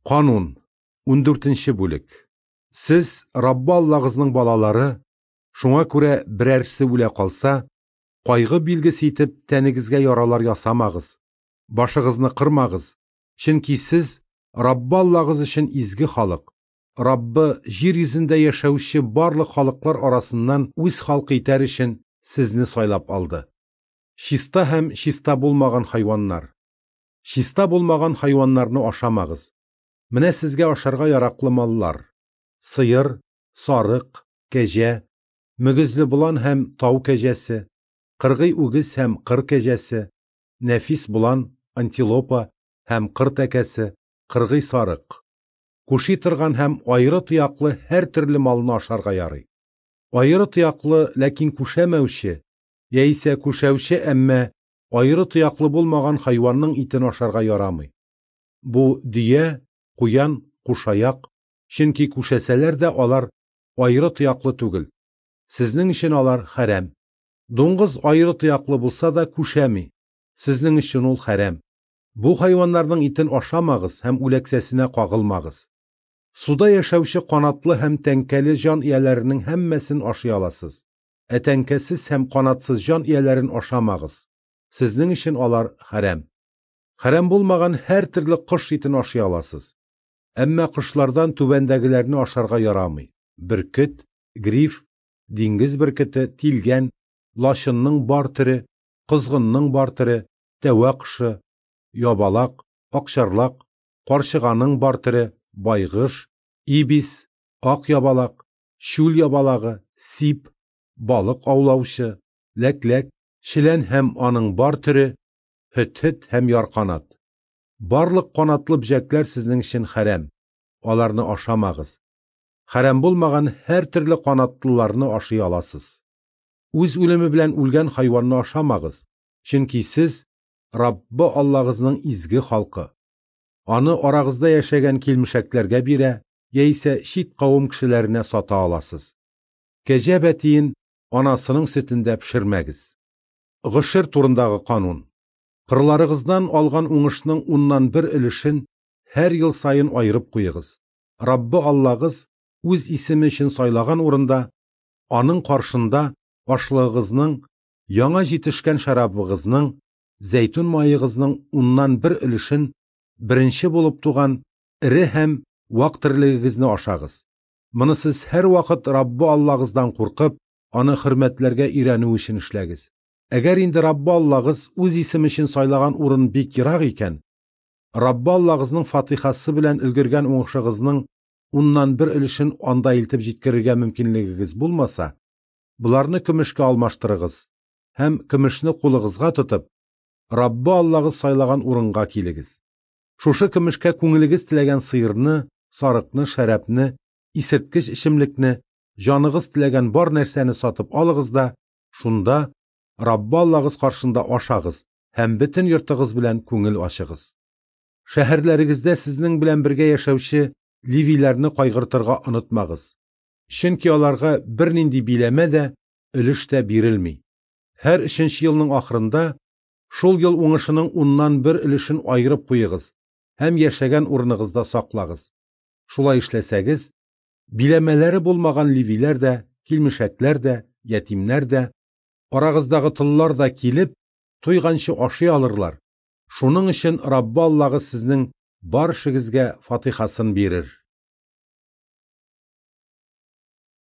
Канун, 14 бүлек. Сез Раббы Аллагызның балалары, шуңа күрә берәрсе үлә калса, кайгы билгесе итеп тәнегезгә яралар ясамагыз, башыгызны кырмагыз, чөнки сез Раббы Аллагыз өчен изге халык. Раббы җир йөзендә яшәүче барлык халыклар арасыннан үз халкы итәр өчен сезне сайлап алды. Чиста һәм чиста булмаган хайваннар. Чиста булмаган хайваннарны ашамагыз. Менә сезгә ашарга яраклы маллар: сыер, сарык, кәҗә, мөгезле болан һәм тау кәҗәсе, кыргый үгез һәм кыр кәҗәсе, нәфис болан, антилопа һәм кыр тәкәсе, кыргый сарык. Күши торган һәм аеры тояклы һәр төрле малны ашарга ярый. Аеры тояклы, ләкин күшәмәүче, яисә күшәүче, әмма аеры тояклы булмаган хайванның итен ашарга ярамый. Бу дөя, куян, кушаяк, чөнки күшәсәләр дә алар аеры тояклы түгел. Сезнең өчен алар хәрам. Дуңгыз аеры тояклы булса да күшәми. Сезнең өчен ул хәрам. Бу хайваннарның итен ашамагыз һәм үләксәсенә кагылмагыз. Суда яшәүче канатлы һәм тәңкәле җан ияләренең һәммәсен ашый аласыз. Ә тәңкәсез һәм канатсыз җан ияләрен ашамагыз. Сезнең өчен алар хәрам. Хәрам булмаган һәр төрле кош итен ашый аласыз. Әмма кошлардан түбәндәгеләрне ашарга ярамый: бөркет, гриф, диңгез бөркете, тилгән, лачынның бар төре, козгынның бар төре, тәвә кошы, ябалак, акчарлак, карчыганың бар төре, байгыш, ибис, ак ябалак, чүл ябалагы, сип, балык аулаучы, ләкләк, челән һәм аның бар төре, һөт-һөт һәм ярканат. Барлык канатлы бөҗәкләр сезнең өчен хәрам. Аларны ашамагыз. Хәрам булмаган һәр төрле канатлыларны ашый аласыз. Үз үлеме белән үлгән хайванны ашамагыз, чөнки сез Раббы Аллагызның изге халкы. Аны арагызда яшәгән килмешәкләргә бирә, яисә чит кавым кешеләренә сата аласыз. Кәҗә бәтиен анасының сөтендә пешермәгез. Гошер турындагы канун. Кырларыгыздан алган уңышның 1/10 өлешен һәр ел саен аерып куегыз. Раббы Аллагыз үз исеме өчен сайлаган урында, аның каршында ашлыгыгызның, яңа җитешкән шәрабыгызның, зәйтүн маегызның 1/10 өлешен беренче булып туган эре һәм вак терлегегезне ашагыз. Моны сез һәр вакыт Раббы Аллагыздан куркып, аны хөрмәтләргә өйрәнү өчен эшләгез. Әгәр инде Раббы Аллагыз үз исеме өчен сайлаган урын бик ерак икән, Раббы Аллагызның фатихасы белән өлгергән уңышыгызның 1/10 өлешен анда илтеп җиткерергә мөмкинлегегез булмаса, боларны көмешкә алмаштырыгыз һәм көмешне кулыгызга тотып, Раббы Аллагыз сайлаган урынга килегез. Шушы көмешкә күңелегез теләгән сыерны, сарыкны, шәрабны, исерткеч эчемлекне, җаныгыз теләгән бар нәрсәне сатып алыгыз да, шунда Раббы Аллагыз каршында ашагыз һәм бөтен йортыгыз белән күңел ачыгыз. Шәһәрләрегездә сезнең белән бергә яшәүче левиләрне кайгыртырга онытмагыз. Чөнки аларга бернинди биләмә дә, өлеш тә бирелми. Һәр 3-нче елның ахырында шул ел уңышының 1/10 өлешен аерып куегыз һәм яшәгән урыныгызда саклагыз. Шулай эшләсәгез, биләмәләре булмаган левиләр дә, килмешәкләр дә, ятимнәр дә, арагыздагы толлар да килеп, туйганчы ашый алырлар. Шуның өчен Раббы Аллагыз сезнең бар эшегезгә фатихасын бирер.